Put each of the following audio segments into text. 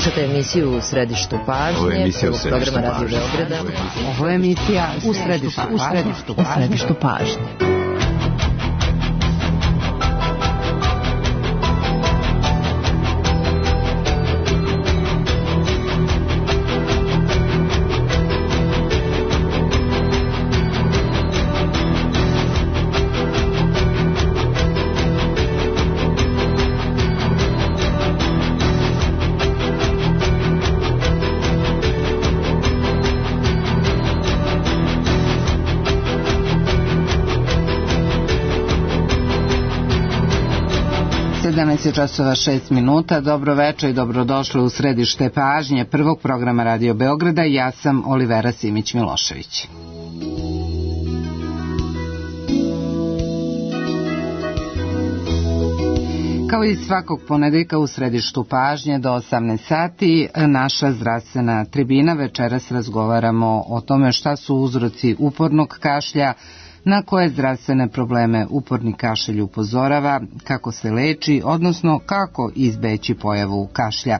Slušate emisiju U središtu pažnje, programa Radio Beograda. Ovo je emisija U središtu pažnje. Časova 6 minuta. Dobro večer i dobrodošli u središte pažnje prvog programa Radio Beograda. Ja sam Olivera Simić-Milošević. Kao i svakog ponedeljka u središtu pažnje do 18 sati naša zdravstvena tribina. Večeras razgovaramo o tome šta su uzroci upornog kašlja, na koje zdravstvene probleme uporni kašalj upozorava, kako se leči, odnosno kako izbeći pojavu kašlja.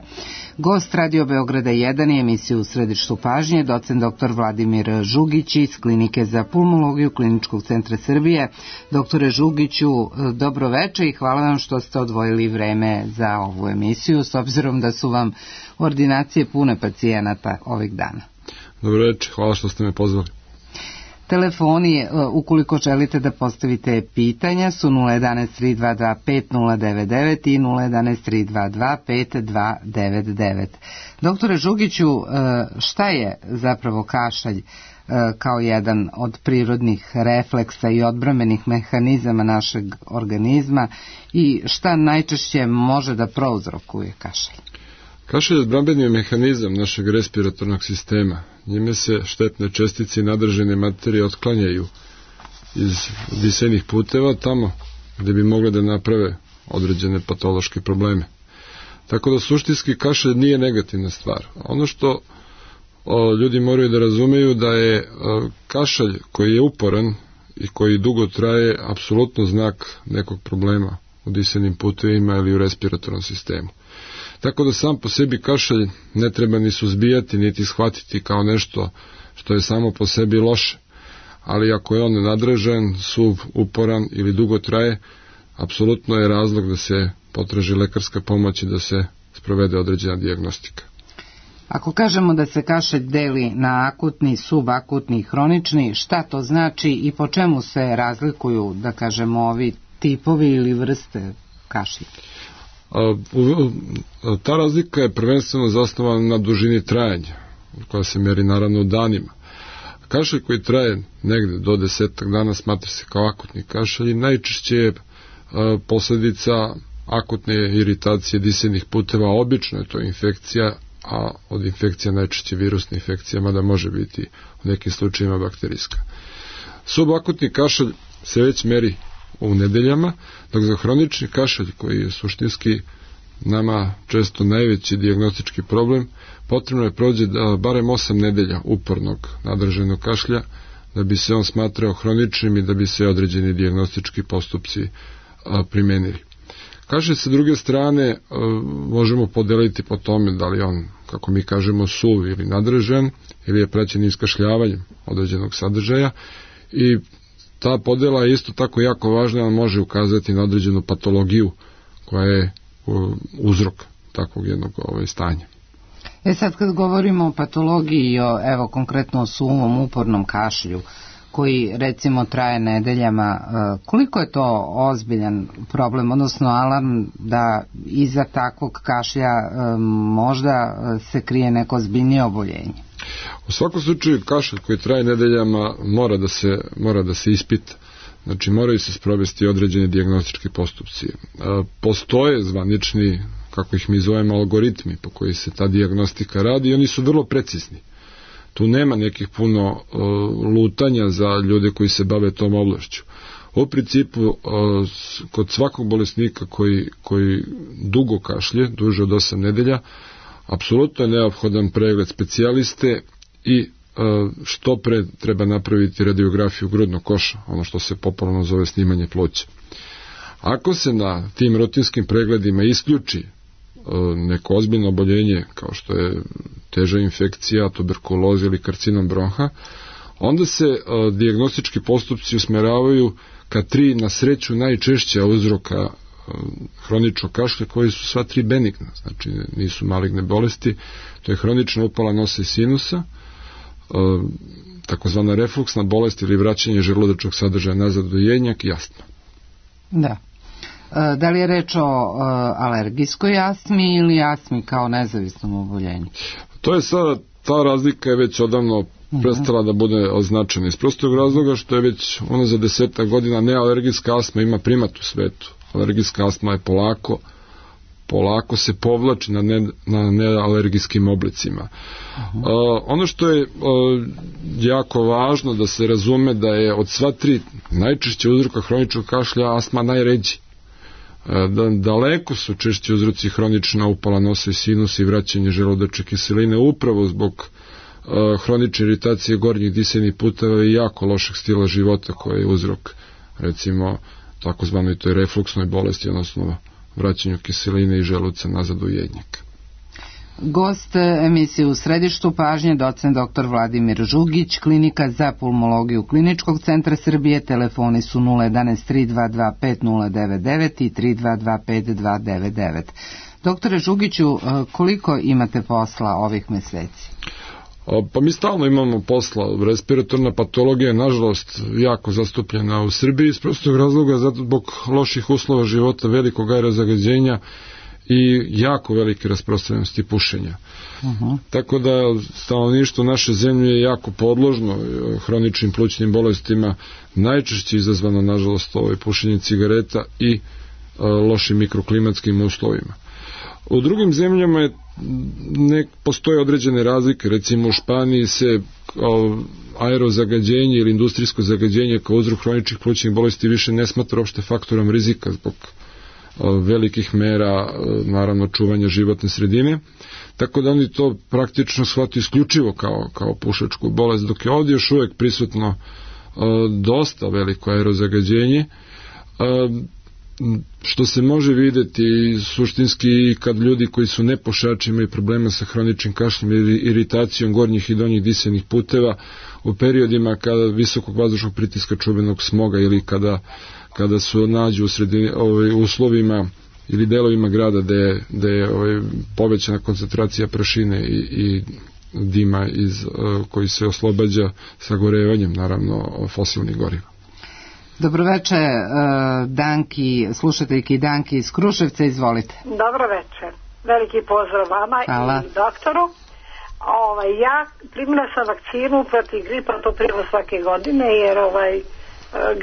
Gost Radio Beograda 1 je emisiju U središtu pažnje, docent dr. Vladimir Žugić iz Klinike za pulmologiju Kliničkog centra Srbije. Doktore Žugiću, dobro večer i hvala vam što ste odvojili vreme za ovu emisiju, s obzirom da su vam ordinacije pune pacijenata ovih dana. Dobro večer, hvala što ste me pozvali. Telefoni, ukoliko želite da postavite pitanja, su 011-322-5099 i 011-322-5299. Doktore Žugiću, šta je zapravo kašalj kao jedan od prirodnih refleksa i odbrambenih mehanizama našeg organizma i šta najčešće može da prouzrokuje kašalj? Kašalj je odbrambeni mehanizam našeg respiratornog sistema. Njime se štetne čestice i nadržane materije otklanjaju iz disajnih puteva tamo gde bi mogle da naprave određene patološke probleme. Tako da suštinski kašalj nije negativna stvar. Ono što ljudi moraju da razumeju da je kašalj koji je uporan i koji dugo traje apsolutno znak nekog problema u disajnim putevima ili u respiratornom sistemu. Tako da sam po sebi kašalj ne treba ni suzbijati, niti shvatiti kao nešto što je samo po sebi loše. Ali ako je on nadražan, suv, uporan ili dugo traje, apsolutno je razlog da se potraži lekarska pomoć i da se sprovede određena dijagnostika. Ako kažemo da se kašalj deli na akutni, subakutni i hronični, šta to znači i po čemu se razlikuju, da kažemo, ovi tipovi ili vrste kašlja? Ta razlika je prvenstveno zasnovana na dužini trajanja, koja se meri naravno u danima. Kašalj koji traje negde do 10 dana smatra se kao akutni kašalj i najčešće je posledica akutne iritacije disajnih puteva, obično je to infekcija, a od infekcija najčešće virusna infekcija, mada može biti u nekim slučajima bakterijska. Subakutni kašalj se već meri u nedeljama, dok za hronični kašalj, koji je suštinski nama često najveći dijagnostički problem, potrebno je prođe barem 8 nedelja upornog nadržanog kašlja da bi se on smatrao hroničnim i da bi se određeni dijagnostički postupci primenili. Kašalj sa druge strane možemo podeliti po tome da li on, kako mi kažemo, suv ili nadržan ili je praćen iskašljavanjem određenog sadržaja i ta podela je isto tako jako važna, ali može ukazati na određenu patologiju koja je uzrok takvog jednog stanja. Sad kad govorimo o patologiji, evo konkretno o suvom upornom kašlju, koji recimo traje nedeljama, koliko je to ozbiljan problem, odnosno alarm da iza takvog kašlja možda se krije neko ozbiljnije oboljenje? U svakom slučaju kašalj koji traje nedeljama mora da se ispita. Znači moraju se sprovesti određeni dijagnostički postupci. Postoje zvanični, kako ih mi zovemo, algoritmi po koji se ta dijagnostika radi i oni su vrlo precizni. Tu nema nekih puno lutanja za ljude koji se bave tom oblašću. U principu, kod svakog bolesnika koji dugo kašlje, duže od 8 nedelja, apsolutno je neophodan pregled specijaliste i što pre treba napraviti radiografiju grudnog koša, ono što se popularno zove snimanje pluća. Ako se na tim rutinskim pregledima isključi neko ozbiljno oboljenje kao što je teža infekcija, tuberkuloza ili karcinom bronha, onda se dijagnostički postupci usmeravaju ka 3 na sreću najčešća uzroka hroničnog kašlja, koji su sva 3 benigna, znači nisu maligne bolesti. To je hronična upala nosa i sinusa, takozvana refluksna bolest ili vraćanje želudačnog sadržaja nazad u jednjak i astma. Da. Da li je reč o alergijskoj astmi ili astmi kao nezavisnom oboljenju? To je sada, ta razlika je već odavno prestala da bude označena iz prostog razloga što je već unazad 10 godina nealergijska astma ima primat u svetu. Alergijska astma je polako se povlači na nealergijskim oblicima. Ono što je jako važno da se razume da je od sva 3 najčešće uzroka hroničnog kašlja astma najređi. Daleko su češći uzroci hronična upala nosa i sinusa i vraćanje želudačke kiseline upravo zbog hronične iritacije gornjih disajnih puteva i jako lošeg stila života koji je uzrok recimo takozvanoj toj refluksnoj bolesti, odnosno vraćanju kiseline i želuca nazad u jednjak. Gost emisije U središtu pažnje docent dr. Vladimir Žugić, klinika za pulmologiju Kliničkog centra Srbije. Telefoni su 011 322 5099 i 322 5299. Doktore Žugiću, koliko imate posla ovih meseci? Pa mi stalno imamo posla. Respiratorna patologija je nažalost jako zastupljena u Srbiji iz prostog razloga zato zbog loših uslova života, velikog aerozagađenja i jako velike rasprostranjenosti pušenja. Tako da stanovništvo naše zemlje je jako podložno hroničnim plućnim bolestima, najčešće izazvano nažalost pušenjem cigareta i lošim mikroklimatskim uslovima. U drugim zemljama ne postoje određene razlike, recimo u Španiji se aerozagađenje ili industrijsko zagađenje kao uzrok hroničnih plućnih bolesti više ne smatra uopšte faktorom rizika zbog velikih mera, naravno čuvanja životne sredine, tako da oni to praktično shvataju isključivo kao pušačku bolest, dok je ovdje još uvijek prisutno dosta veliko aerozagađenje, što se može vidjeti suštinski kad ljudi koji su nepušači imaju problema sa hroničnim kašljem ili iritacijom gornjih i donjih disajnih puteva u periodima kada visokog vazdušnog pritiska čuvenog smoga ili kada su nađu u uslovima ili delovima grada gde je povećana koncentracija prašine i dima koji se oslobađa sagorevanjem, naravno, fosilnih goriva. Dobroveče, Danki, slušateljki Danki iz Kruševca, izvolite. Dobroveče, veliki pozdrav vama. Hvala. I doktoru. Ja primila sam vakcinu protiv gripa, to primam svake godine, jer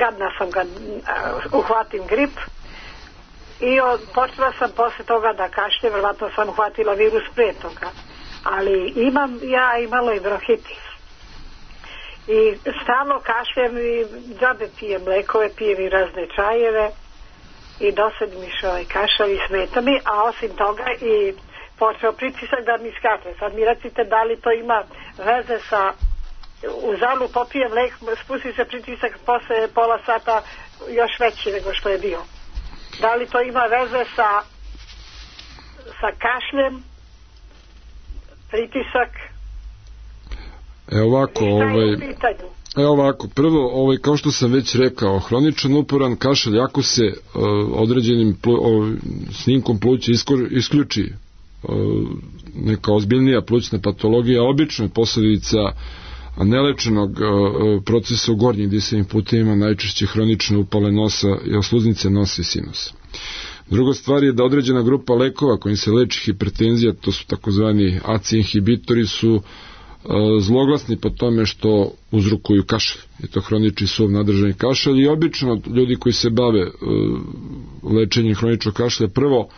gadna sam kad uhvatim grip i počela sam posle toga da kašljem, verovatno sam uhvatila virus pre toga, ali imam ja i malo i bronhitis. I stalno kašljem i džabe pijem lekove, pijem i razne čajeve i dosad mi kašalj i smeta mi, a osim toga i počeo pritisak da mi skače. Sad mi recite da li to ima veze sa, u zalu popijem lek, spusti se pritisak posle pola sata još veći nego što je bio. Da li to ima veze sa kašljem, pritisak? Evo ovako, prvo, kao što sam već rekao, hroničan uporan kašalj, ako se određenim snimkom pluća isključi neka ozbiljnija plućna patologija, obično je posljedica nelečenog procesa u gornjim disajnim putevima, najčešće hronične upale nosa i osluznice nosa i sinusa. Druga stvar je da određena grupa lekova kojim se leči hipertenzija, to su takozvani ACE inhibitori, su zloglasni po tome što uzrokuju kašalj. Je to hronični suv nadržani kašalj i obično ljudi koji se bave lečenjem hroničnog kašlja prvo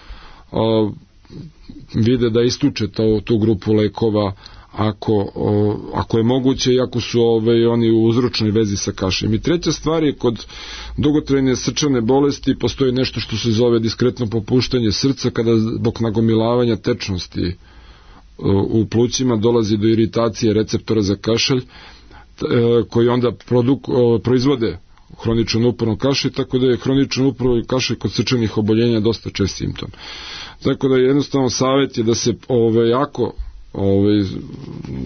vide da isključe tu grupu lekova ako je moguće i ako su oni u uzročnoj vezi sa kašljem. I treća stvar je kod dugotrajne srčane bolesti postoji nešto što se zove diskretno popuštanje srca kada zbog nagomilavanja tečnosti u plućima dolazi do iritacije receptora za kašalj koji onda proizvode hroničan uporno kašalj, tako da je hroničan uporno kašalj kod srčanih oboljenja dosta čest simptom. Tako da jednostavno savjet je da se jako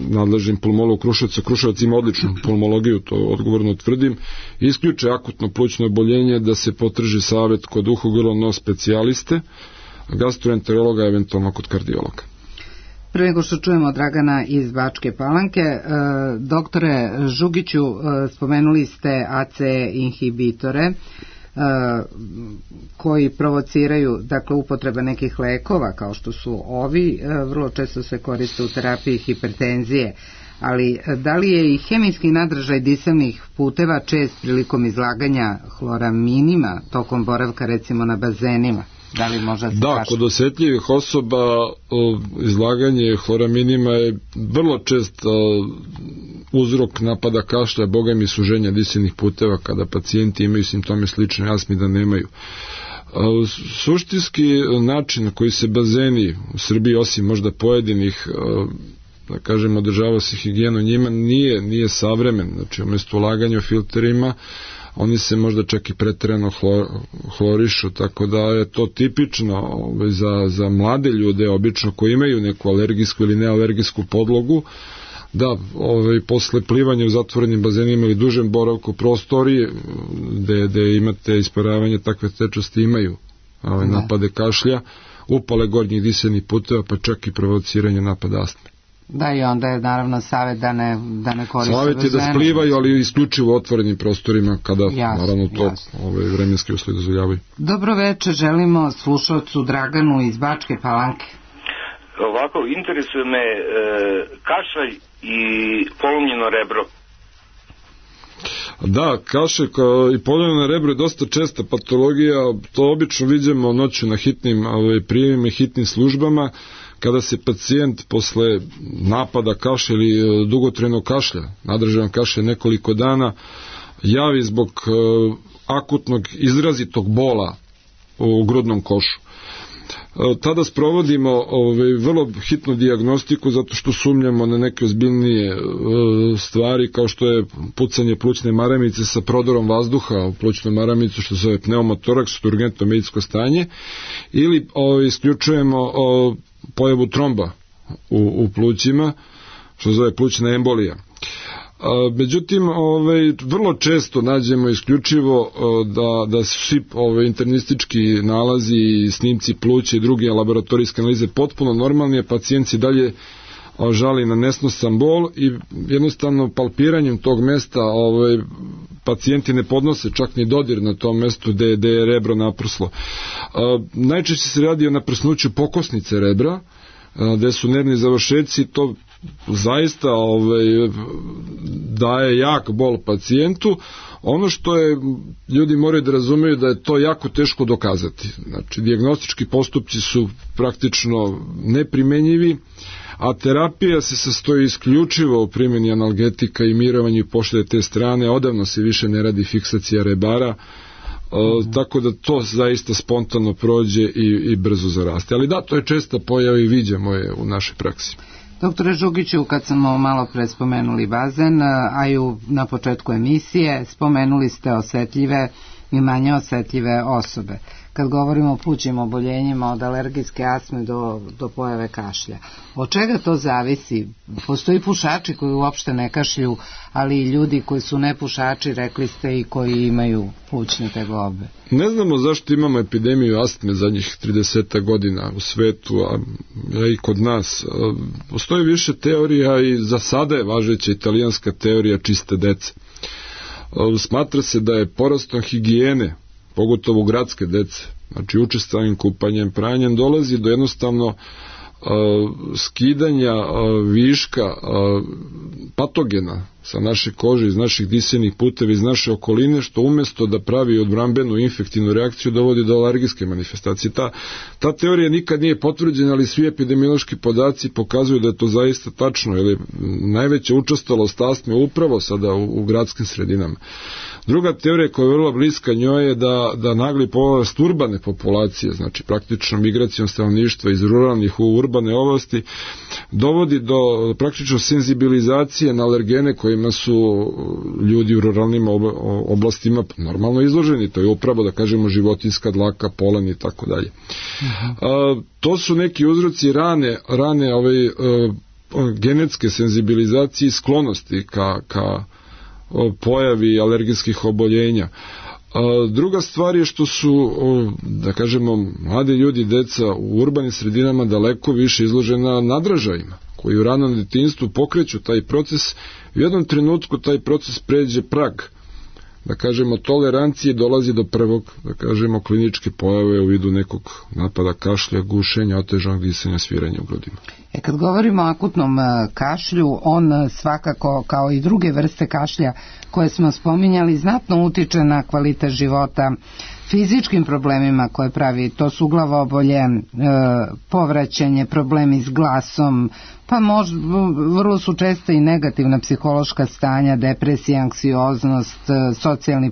nadležnim pulmolog Kruševac ima odličnu pulmologiju, to odgovorno tvrdim, isključe akutno plućno oboljenje, da se potraži savjet kod uho, grlo, nos specijaliste, gastroenterologa, eventualno kod kardiologa. Prvo nego što čujemo Dragana iz Bačke Palanke, doktore Žugiću, spomenuli ste AC inhibitore koji provociraju, dakle, upotreba nekih lekova kao što su ovi, vrlo često se koriste u terapiji hipertenzije, ali da li je i hemijski nadražaj disajnih puteva čest prilikom izlaganja hloraminima tokom boravka recimo na bazenima? Da li možda se da, kod osjetljivih osoba izlaganje hloraminima je vrlo čest uzrok napada kašlja, bogami i suženja disajnih puteva kada pacijenti imaju simptome slične astmi da nemaju. Suštinski način na koji se bazeni u Srbiji, osim možda pojedinih, da kažem, održava se higijenu njima, nije savremen. Znači, umjesto ulaganja u filterima, oni se možda čak i preterano hlorišu, tako da je to tipično za mlade ljude, obično koji imaju neku alergijsku ili nealergijsku podlogu, da posle plivanja u zatvorenim bazenima ili dužem boravku prostoriji gde imate isparavanje takve tečnosti imaju napade kašlja, upale gornjih disajnih puteva, pa čak i provociranje napada astme. Da, i onda je naravno savjet da ne koriste bazene. Savjet je da splivaju, ali isključivo u otvorenim prostorima kada naravno to vremenski uslovi dozvoljavaju. Dobro večer, želimo slušalcu Draganu iz Bačke Palanke. Ovako, interesuje me kašalj i polomljeno rebro. Da, kašalj i polomljeno rebro je dosta česta patologija, to obično vidimo noću na hitnim prijemima i hitnim službama, kada se pacijent posle napada kašlja ili dugotrajnog kašlja, nadražajan kašlja nekoliko dana, javi zbog akutnog izrazitog bola u grudnom košu. Tada sprovodimo vrlo hitnu dijagnostiku zato što sumnjamo na neke ozbiljnije stvari kao što je pucanje plućne maramice sa prodorom vazduha u plućnu maramicu, što se zove pneumotoraks, što je urgentno medicinsko stanje, ili isključujemo pojavu tromba u plućima, što se zove plućna embolija. Međutim, vrlo često nađemo isključivo da svi internistički nalazi i snimci pluća i druge laboratorijske analize potpuno normalni, a pacijent se dalje žali na nesnosan bol i jednostavno palpiranjem tog mesta pacijenti ne podnose čak ni dodir na tom mestu gde je rebro naprslo. Najčešće se radi o naprsnuću pokosnice rebra, gde su nervni završeci, to zaista daje jak bol pacijentu. Ono što je, ljudi moraju da razumeju da je to jako teško dokazati. Znači, dijagnostički postupci su praktično neprimenjivi, a terapija se sastoji isključivo u primjeni analgetika i mirovanju i pošalje te strane. Odavno se više ne radi fiksacija rebara, tako da to zaista spontano prođe i brzo zaraste. Ali da, to je česta pojava i viđamo je u našoj praksi. Doktore Žugiću, kad smo malo pre spomenuli bazen, a i na početku emisije spomenuli ste osetljive i manje osetljive osobe. Kad govorimo o plućnim oboljenjima od alergijske astme do pojave kašlja. Od čega to zavisi? Postoji pušači koji uopšte ne kašlju, ali i ljudi koji su nepušači, rekli ste, i koji imaju plućne tegobe. Ne znamo zašto imamo epidemiju astme zadnjih 30 godina u svetu, a i kod nas. Postoji više teorija i za sada je važeća italijanska teorija čiste dece. Smatra se da je porastom higijene, pogotovo gradske dece, znači učestalim kupanjem, pranjem, dolazi do jednostavno skidanja viška patogena sa naše kože, iz naših disajnih puteva, iz naše okoline, što umjesto da pravi odbrambenu infektivnu reakciju dovodi do alergijske manifestacije. Ta teorija nikad nije potvrđena, ali svi epidemiološki podaci pokazuju da je to zaista tačno, jer je najveća učestalost astme upravo sada u gradskim sredinama. Druga teorija koja je vrlo bliska njoj je da nagli porast urbane populacije, znači praktično migracijom stanovništva iz ruralnih u urbane oblasti, dovodi do praktično senzibilizacije na alergene koje kojima su ljudi u ruralnim oblastima normalno izloženi. To je upravo, da kažemo, životinjska dlaka, polen i tako dalje. To su neki uzroci rane genetske senzibilizacije i sklonosti ka pojavi alergijskih oboljenja. Druga stvar je što su, da kažemo, mladi ljudi, deca u urbanim sredinama daleko više izložena nadražajima, koji u ranom detinjstvu pokreću taj proces i u jednom trenutku taj proces pređe prag, da kažemo, tolerancije, dolazi do prvog, da kažemo, kliničke pojave u vidu nekog napada kašlja, gušenja, otežanog disanja, sviranja u grudima. Kad govorimo o akutnom kašlju, on svakako, kao i druge vrste kašlja koje smo spominjali, znatno utiče na kvalitet života, fizičkim problemima koje pravi, to su glavobolje, povraćanje, problemi s glasom, pa vrlo su često i negativna psihološka stanja, depresija, anksioznost, socijalni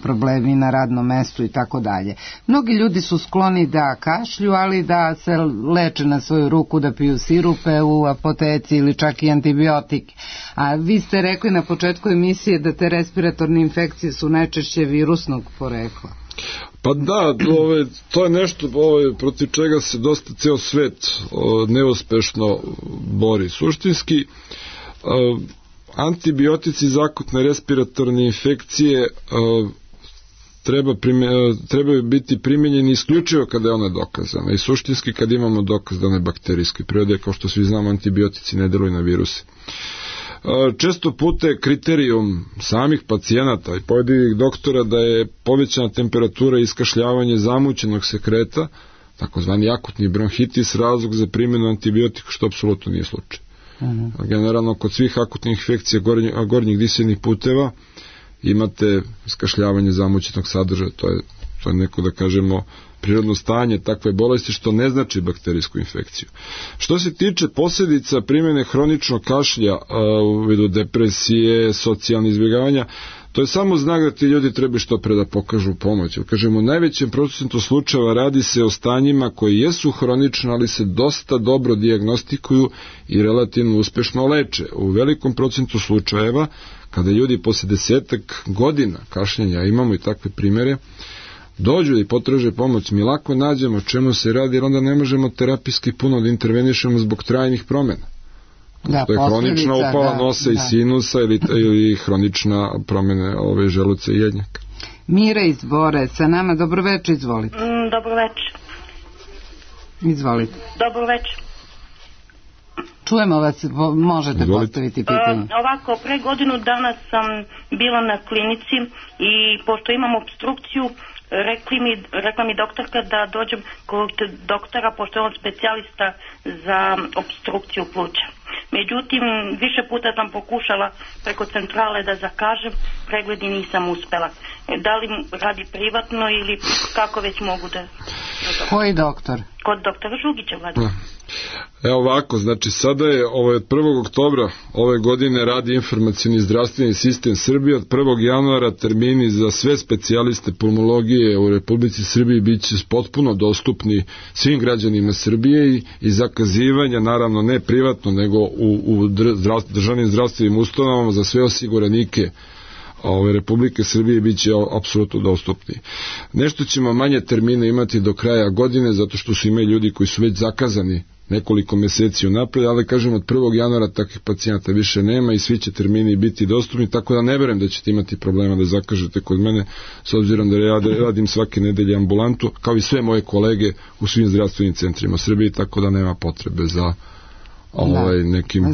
problemi na radnom mestu i tako dalje. Mnogi ljudi su skloni da kašlju, ali da se leče na svoju ruku, da piju sirupe u apoteci ili čak i antibiotike. A vi ste rekli na početku emisije da te respiratorne infekcije su najčešće virusnog porekla. Pa da, to je nešto protiv čega se dosta ceo svet neuspešno bori. Suštinski, antibiotici za akutne respiratorne infekcije trebaju biti primenjeni isključivo kada je ona dokazana i suštinski kad imamo dokaz da ona je bakterijske prirode, kao što svi znamo, antibiotici ne deluju na viruse. Često puta je kriterijum samih pacijenata i pojedinih doktora da je povećana temperatura i iskašljavanje zamućenog sekreta, takozvani akutni bronhitis, razlog za primjenu antibiotika, što apsolutno nije slučaj. Generalno, kod svih akutnih infekcija gornjih disajnih puteva imate iskašljavanje zamućenog sadržaja, to je neko, da kažemo, prirodno stanje takve bolesti, što ne znači bakterijsku infekciju. Što se tiče posljedica primjene hroničnog kašlja u vidu depresije, socijalnih izbjegavanja, to je samo znak da ti ljudi treba što pre da pokažu pomoć. Kažemo, u najvećem procentu slučajeva radi se o stanjima koji jesu hronični, ali se dosta dobro dijagnostikuju i relativno uspešno leče. U velikom procentu slučajeva, kada ljudi posle 10 godina kašljenja, imamo i takve primjere, dođu i potraže pomoć, mi lako nađemo čemu se radi, jer onda ne možemo terapijski puno da intervenišemo zbog trajnih promjena. To je hronična upala nosa i sinusa ili hronična promjena želuca i jednjaka. Mira iz Bore, sa nama, dobro večer, izvolite. Dobro večer. Izvolite. Dobro večer. Čujemo vas, možete postaviti pitanje. Ovako, pre godinu dana sam bila na klinici i pošto imam obstrukciju, rekla mi doktorka da dođem kod doktora, pošto je on specijalista za obstrukciju pluća. Međutim, više puta sam pokušala preko centrale da zakažem pregled i nisam uspela. Da li radi privatno ili kako već mogu da... Koji doktor? Kod doktora Žugića, Vlada. Evo ovako, znači sada je od 1. oktobra ove godine radi informacioni zdravstveni sistem Srbije. Od 1. januara termini za sve specijaliste pulmologije u Republici Srbiji bit će potpuno dostupni svim građanima Srbije i zakazivanja, naravno ne privatno, nego u državnim zdravstvenim ustanovama za sve osiguranike Republike Srbije bit će apsolutno dostupni. Nešto ćemo manje termine imati do kraja godine, zato što su imali ljudi koji su već zakazani nekoliko meseci unapred, ali kažem od 1. januara takvih pacijenata više nema i svi će termini biti dostupni, tako da ne verujem da ćete imati problema da zakažete kod mene, s obzirom da ja radim svake nedelje ambulantu, kao i sve moje kolege u svim zdravstvenim centrima Srbije, tako da nema potrebe za nekim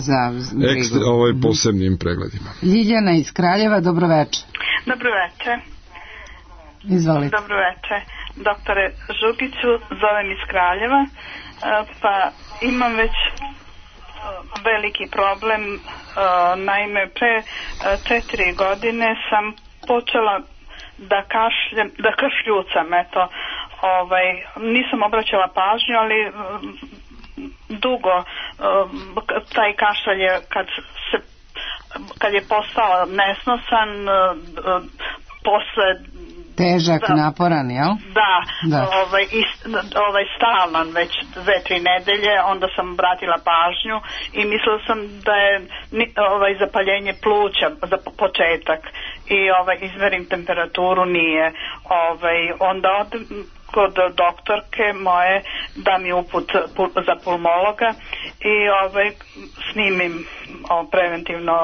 posebnim pregledima. Ljiljana iz Kraljeva, dobro večer. Dobro večer. Izvolite. Dobro večer. Doktore Žugiću, zovem iz Kraljeva, pa imam već veliki problem. Naime, pre 4 godine sam počela da kašljucam, nisam obraćala pažnju, ali dugo taj kašalj je kad je postao nesnosan posle Težak, naporan, jel? Da. Stalan već 2-3 nedelje, onda sam obratila pažnju i mislila sam da je zapaljenje pluća za početak i izmerim temperaturu, nije. Onda kod doktorke moje da mi uput za pulmologa i snimim preventivno,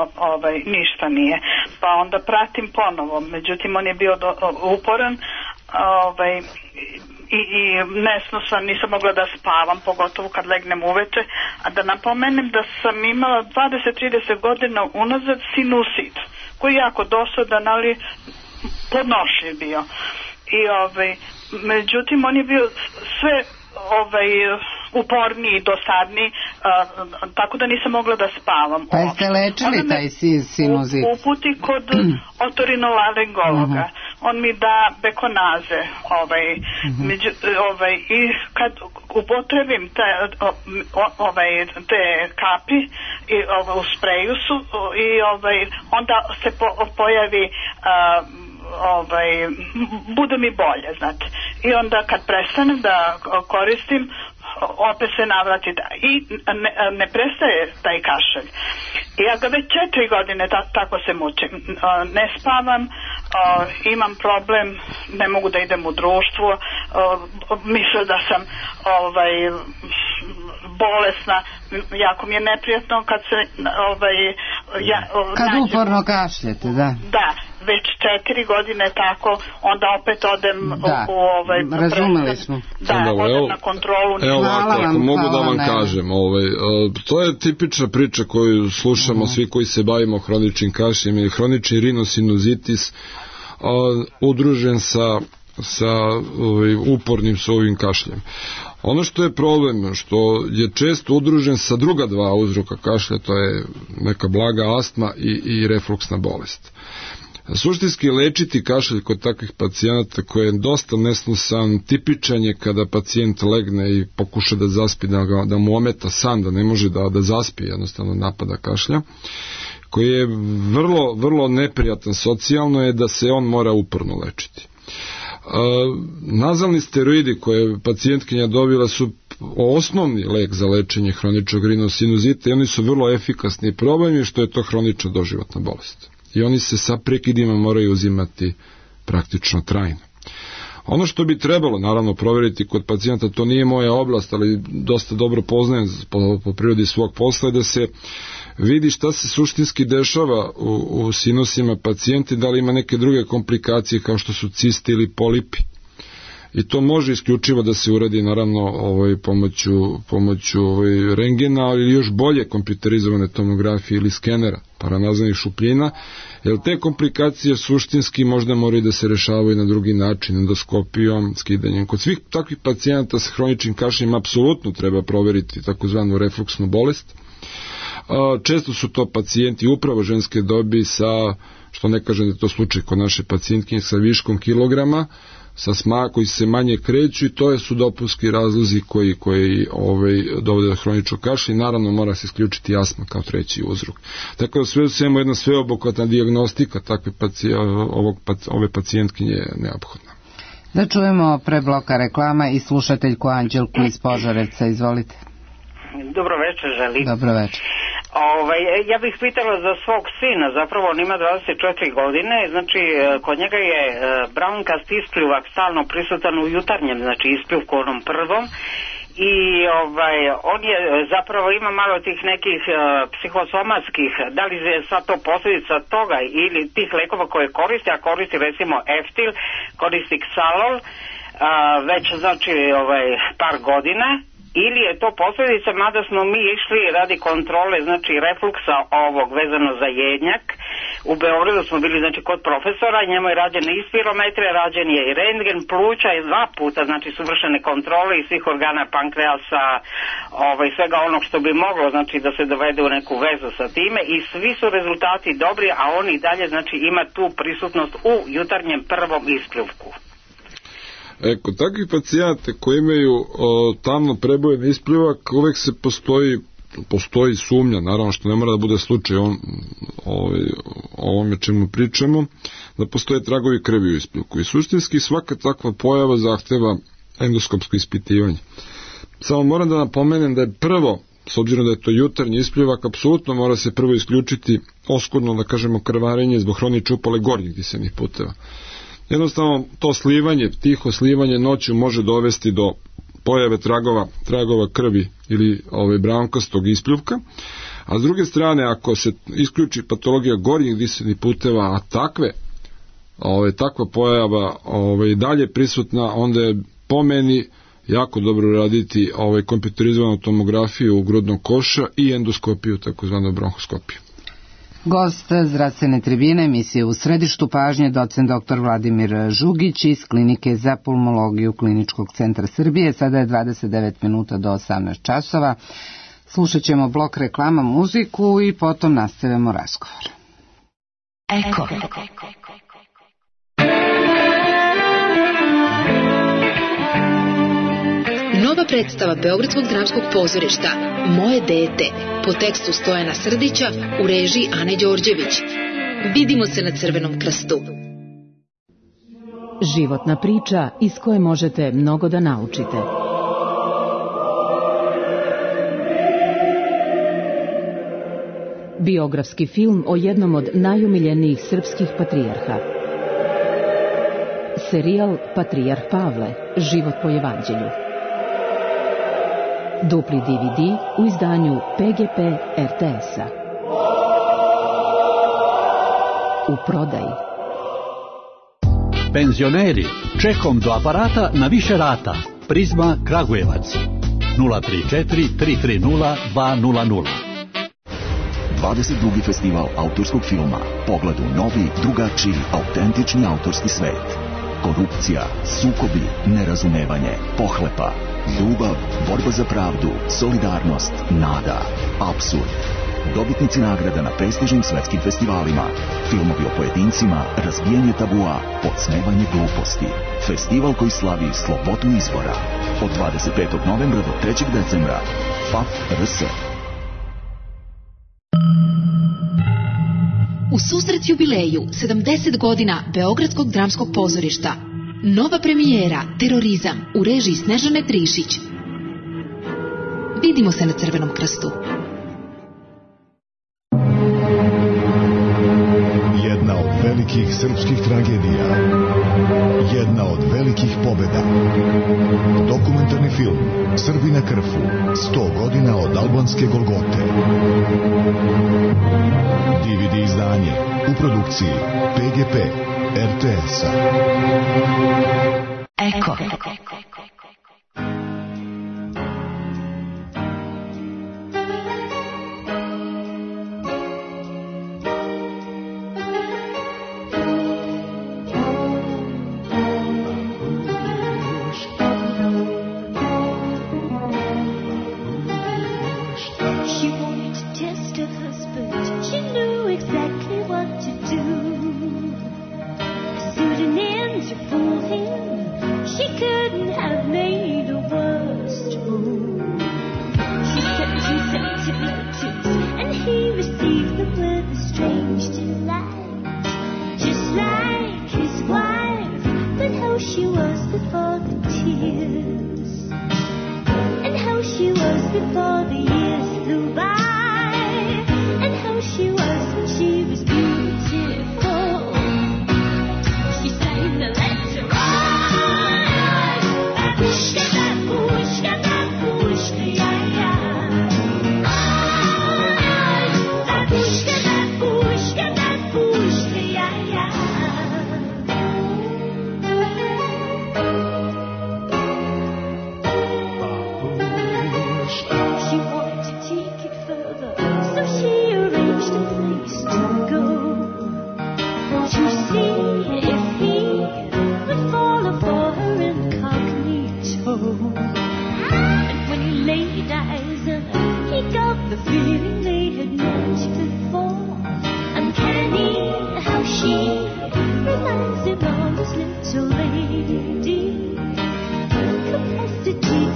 ništa nije. Pa onda pratim ponovo, međutim on je bio uporan i nesnosan, nisam mogla da spavam, pogotovo kad legnem uveče, a da napomenem da sam imala 20-30 godina unazad sinusit, koji je jako dosadan, ali podnošljiv bio. I međutim on je bio sve uporniji, dosadniji, tako da nisam mogla da spavam. Pa jeste lečili taj sinuzit? Uputi kod otorinolaringologa. On mi da bekonaze i kad upotrebim te kapi u spreju su i onda se pojavi bude mi bolje, znate. I onda kad prestanem da koristim, opet se navrati i ne prestaje taj kašalj. Ja ga već 4 godine tako se mučim. Ne spavam, imam problem, ne mogu da idem u društvo, mislim da sam bolesna, jako mi je neprijatno kad se kad uporno kašljete, da. Da, već 4 godine tako, onda opet odem razumeli smo. Da, odem na kontrolu. Evo ovako, ako mogu da vam kažem, to je tipična priča koju slušamo svi koji se bavimo hroničnim kašljem, ili hronični rinosinuzitis udružen sa upornim ovim kašljem. Ono što je problem, što je često udružen sa druga dva uzroka kašlja, to je neka blaga astma i refluksna bolest. Suštinski lečiti kašalj kod takvih pacijenata koji je dosta nesnosan, tipičan je kada pacijent legne i pokuša da zaspi, da mu ometa san, da ne može da zaspi, jednostavno napada kašlja, koji je vrlo, vrlo neprijatan socijalno, je da se on mora uporno lečiti. Nazalni steroidi koje pacijentkinja dobila su osnovni lek za lečenje hroničnog rinosinuzita i oni su vrlo efikasni. Problem je što je to hronična doživotna bolest i oni se sa prekidima moraju uzimati praktično trajno. Ono što bi trebalo naravno provjeriti kod pacijenta, to nije moja oblast, ali dosta dobro poznajem po prirodi svog posla, da se vidi šta se suštinski dešava u sinusima pacijenti, da li ima neke druge komplikacije kao što su cisti ili polipi. I to može isključivo da se uradi naravno pomoću rengena, ali još bolje kompjuterizovane tomografije ili skenera paranazalnih šupljina, jer te komplikacije suštinski možda moraju da se rešavaju na drugi način, endoskopijom, skidanjem. Kod svih takvih pacijenata sa hroničnim kašljem apsolutno treba proveriti takozvanu refluksnu bolest. Često su to pacijenti upravo ženske dobi sa, što ne kažem da je to slučaj kod naše pacijentkinje, sa viškom kilograma, koji se manje kreću, i to su dopunski razlozi koji dovode do hroničnog kašlja, i naravno mora se isključiti astma kao treći uzrok. Tako da sve u svemu jedna sveobuhvatna dijagnostika ove pacijentkinje je neophodna. Da čujemo pre bloka reklama i slušateljku Anđelku iz Požarevca, izvolite. Dobro večer, želim. Dobro večer. Ja bih pitala za svog sina, zapravo on ima 24 godine, znači kod njega je braunkast ispljuvak stalno prisutan u jutarnjem, znači ispljuvku onom prvom, i on je zapravo ima malo tih nekih psihosomatskih, da li je sad to posljedica toga ili tih lekova koje koristi, a koristi recimo Eftil, koristi Xalol, već znači par godina, ili je to posljedica, mada smo mi išli radi kontrole, znači refluksa ovog vezano za jednjak. U Beogradu smo bili znači kod profesora, njemu je rađena i spirometrija, rađen je i rentgen pluća, i 2 puta znači su vršene kontrole i svih organa pankreasa, svega onog što bi moglo znači da se dovede u neku vezu sa time, i svi su rezultati dobri, a on i dalje znači ima tu prisutnost u jutarnjem prvom ispljuvku. Kod takvih pacijenta koji imaju tamno prebojen ispljuvak, uvek se postoji postoji sumnja, naravno što ne mora da bude slučaj o ovome čemu pričamo, da postoje tragovi krvi u ispljuvku i suštinski svaka takva pojava zahteva endoskopsko ispitivanje. Samo moram da napomenem da je prvo, s obzirom da je to jutarnji ispljuvak, apsolutno mora se prvo isključiti oskudno, da kažemo, krvarenje zbog hronične upale gornjih disenih puteva. Jednostavno to slivanje, tiho slivanje noću može dovesti do pojave tragova krvi ili brankastog ispljuvka, a s druge strane ako se isključi patologija gornjih disenih puteva, a takva pojava i dalje prisutna, onda je po meni jako dobro raditi kompjuterizovanu tomografiju grudnog koša i endoskopiju, takozvanu bronhoskopiju. Gost zdravstvene tribine emisije U središtu pažnje, docent dr. Vladimir Žugić iz Klinike za pulmologiju Kliničkog centra Srbije. Sada je 29 minuta do 18 časova. Slušat ćemo blok reklama, muziku i potom nastavljamo razgovor. Eko. Nova predstava Beogradskog dramskog pozorišta Moje dete po tekstu Stojana Srdića u režiji Ane Đorđević. Vidimo se na Crvenom krstu. Životna priča iz koje možete mnogo da naučite. Biografski film o jednom od najomiljenijih srpskih patrijarha. Serijal Patrijarh Pavle, život po evanđelju. Dupli DVD u izdanju PGP RTS-a. U prodaji. Penzioneri, čekom do aparata na više rata. Prizma Kragujevac 034 330 200. 22. festival autorskog filma. Pogled u novi, drugačiji, autentični autorski svet. Korupcija, sukobi, nerazumevanje, pohlepa, ljubav, borba za pravdu, solidarnost, nada, apsurd. Dobitnici nagrada na prestižnim svetskim festivalima. Filmovi o pojedincima, razbijanje tabua, podsmevanje gluposti. Festival koji slavi slobodu izbora. Od 25. novembra do 3. decembra. FAF RS. U susret jubileju 70 godina Beogradskog dramskog pozorišta. Nova premijera Terorizam u režiji Snežane Trišić. Vidimo se na Crvenom krstu. Jedna od velikih srpskih tragedija. Jedna od velikih pobjeda. Dokumentarni film Srbi na Krfu. 100 godina od albanske Golgote. DVD izdanje u produkciji PGP RTS-a. Eko.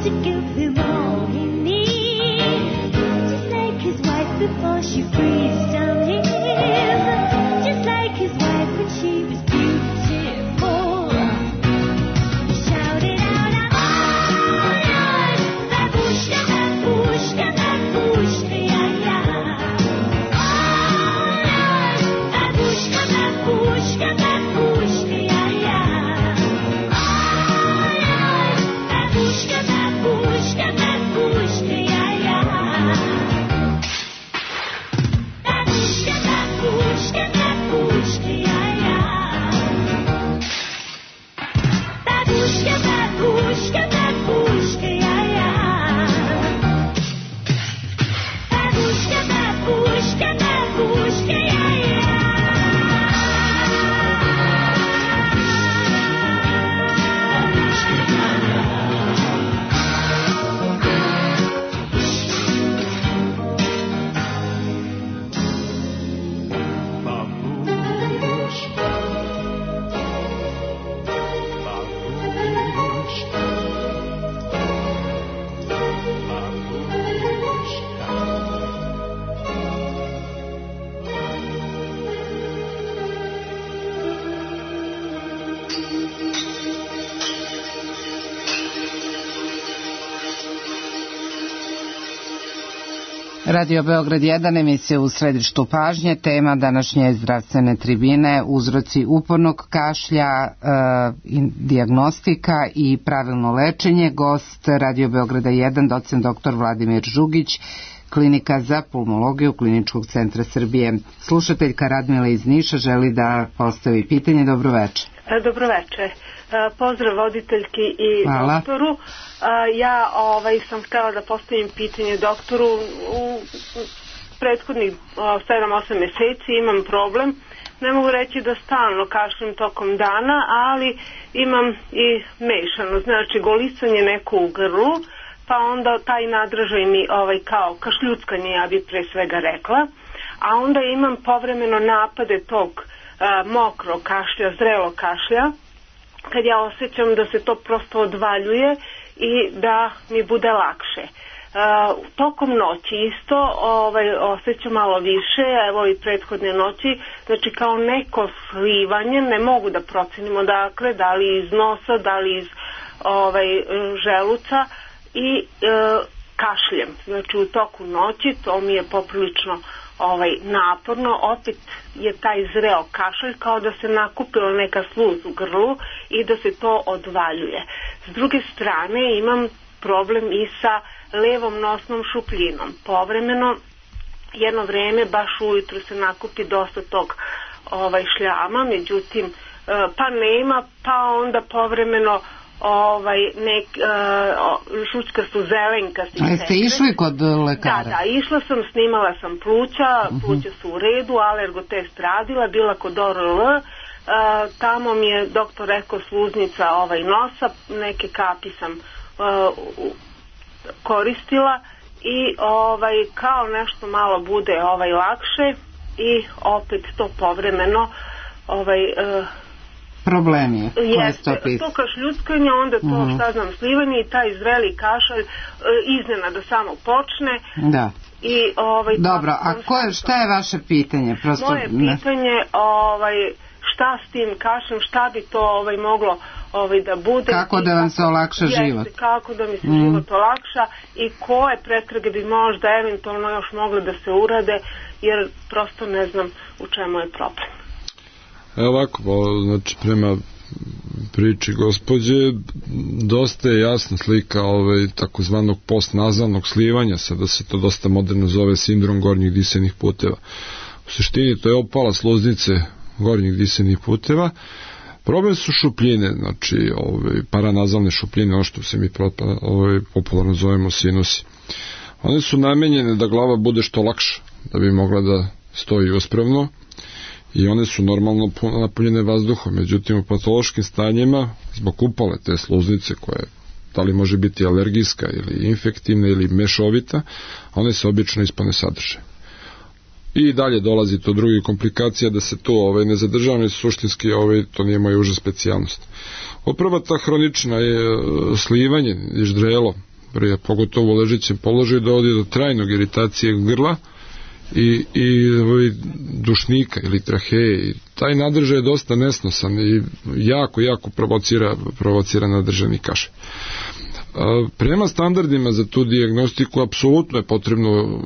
To give him all he needs. Radio Beograd 1, emisija u središtu pažnje, tema današnje zdravstvene tribine, uzroci upornog kašlja, dijagnostika i pravilno lečenje. Gost Radio Beograda 1, docent dr. Vladimir Žugić, Klinika za pulmologiju Kliničkog centra Srbije. Slušateljka Radmila iz Niša želi da postavi pitanje. Dobro večer. Dobro večer. Pozdrav voditeljki i doktoru. Ja sam htjela da postavim pitanje doktoru. U prethodnih 7-8 mjeseci imam problem. Ne mogu reći da stalno kašljem tokom dana, ali imam i mešano. Znači golicanje neko u grlu, pa onda taj nadražaj mi kao kašljuckanje, ja bih pre svega rekla. A onda imam povremeno napade tog mokrog kašlja, zrelog kašlja, kad ja osjećam da se to prosto odvaljuje i da mi bude lakše. Tokom noći isto osjećam malo više, evo i prethodne noći, znači kao neko slivanje, ne mogu da procenim odakle, da li iz nosa, da li iz želuca i kašljem. Znači u toku noći to mi je poprilično naporno, opet je taj zreo kašalj kao da se nakupila neka sluz u grlu i da se to odvaljuje. S druge strane imam problem i sa levom nosnom šupljinom. Povremeno, jedno vreme, baš ujutro se nakupi dosta tog šljama, međutim, pa nema, pa onda povremeno šućka su zelenkasti. A jeste išli kod lekara? Da, išla sam, snimala sam pluća su u redu, alergotest radila, bila kod ORL, tamo mi je doktor rekao sluznica nosa, neke kapi sam koristila i kao nešto malo bude lakše i opet to povremeno problemi jeste, to kašljuckanje, onda to šta znam slivanje i taj zreli kašalj iznenada samo počne. Da. I, dobro, a šta je vaše pitanje? Moje pitanje, šta s tim kašljem, šta bi to moglo da bude? Kako da vam se olakša život? Kako da mi se život olakša i koje pretrage bi možda eventualno još mogle da se urade, jer prosto ne znam u čemu je problem. Ovako, znači prema priči gospođe, dosta je jasna slika takozvanog postnazalnog slivanja, sada se to dosta moderno zove sindrom gornjih disenih puteva. U suštini to je opala sluznice gornjih disenih puteva. Problem su šupljine, znači paranazalne šupljine, ono što se mi popularno zovemo sinusi. One su namenjene da glava bude što lakša, da bi mogla da stoji uspravno, i one su normalno napunjene vazduhom. Međutim, u patološkim stanjima, zbog upale te sluznice, koja da li može biti alergijska ili infektivna ili mešovita, one se obično ispane sadrže. I dalje dolazi do drugih komplikacija, da se to ne zadržava, suštinski to nije moja uža specijalnost. Upravo ta hronična slivanje i ždrelo, pogotovo u ležećem položaju, dovodi do trajnog iritacije grla i dušnika ili traheje. Taj nadržaj je dosta nesnosan i jako provocira nadržani kašalj. Prema standardima za tu dijagnostiku apsolutno je potrebno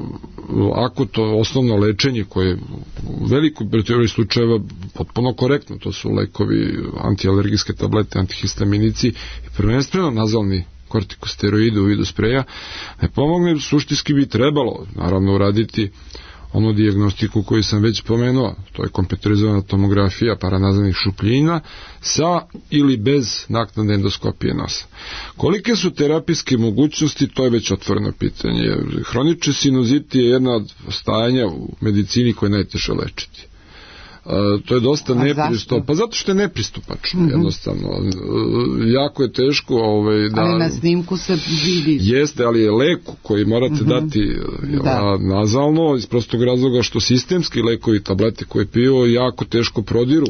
to osnovno lečenje koje je u velikoj broj slučajeva potpuno korektno. To su lekovi, antialergijske tablete, antihistaminici i prvenstveno nazalni kortikosteroidi u vidu spreja. Ne pomogne, suštinski bi trebalo naravno uraditi onu dijagnostiku koju sam već pomenuo, to je kompjuterizovana tomografija paranazalnih šupljina sa ili bez naknadne endoskopije nosa. Kolike su terapijske mogućnosti, to je već otvoreno pitanje. Hronični sinuzit je jedna od stajanja u medicini koje je najteže lečiti. To je dosta nepristupačno. Pa zato što je nepristupačno, jednostavno. Jako je teško da... Ali na snimku se vidi. Jeste, ali je lek koji morate dati nazalno, iz prostog razloga što sistemski lekovi, tablete koje piju, jako teško prodiru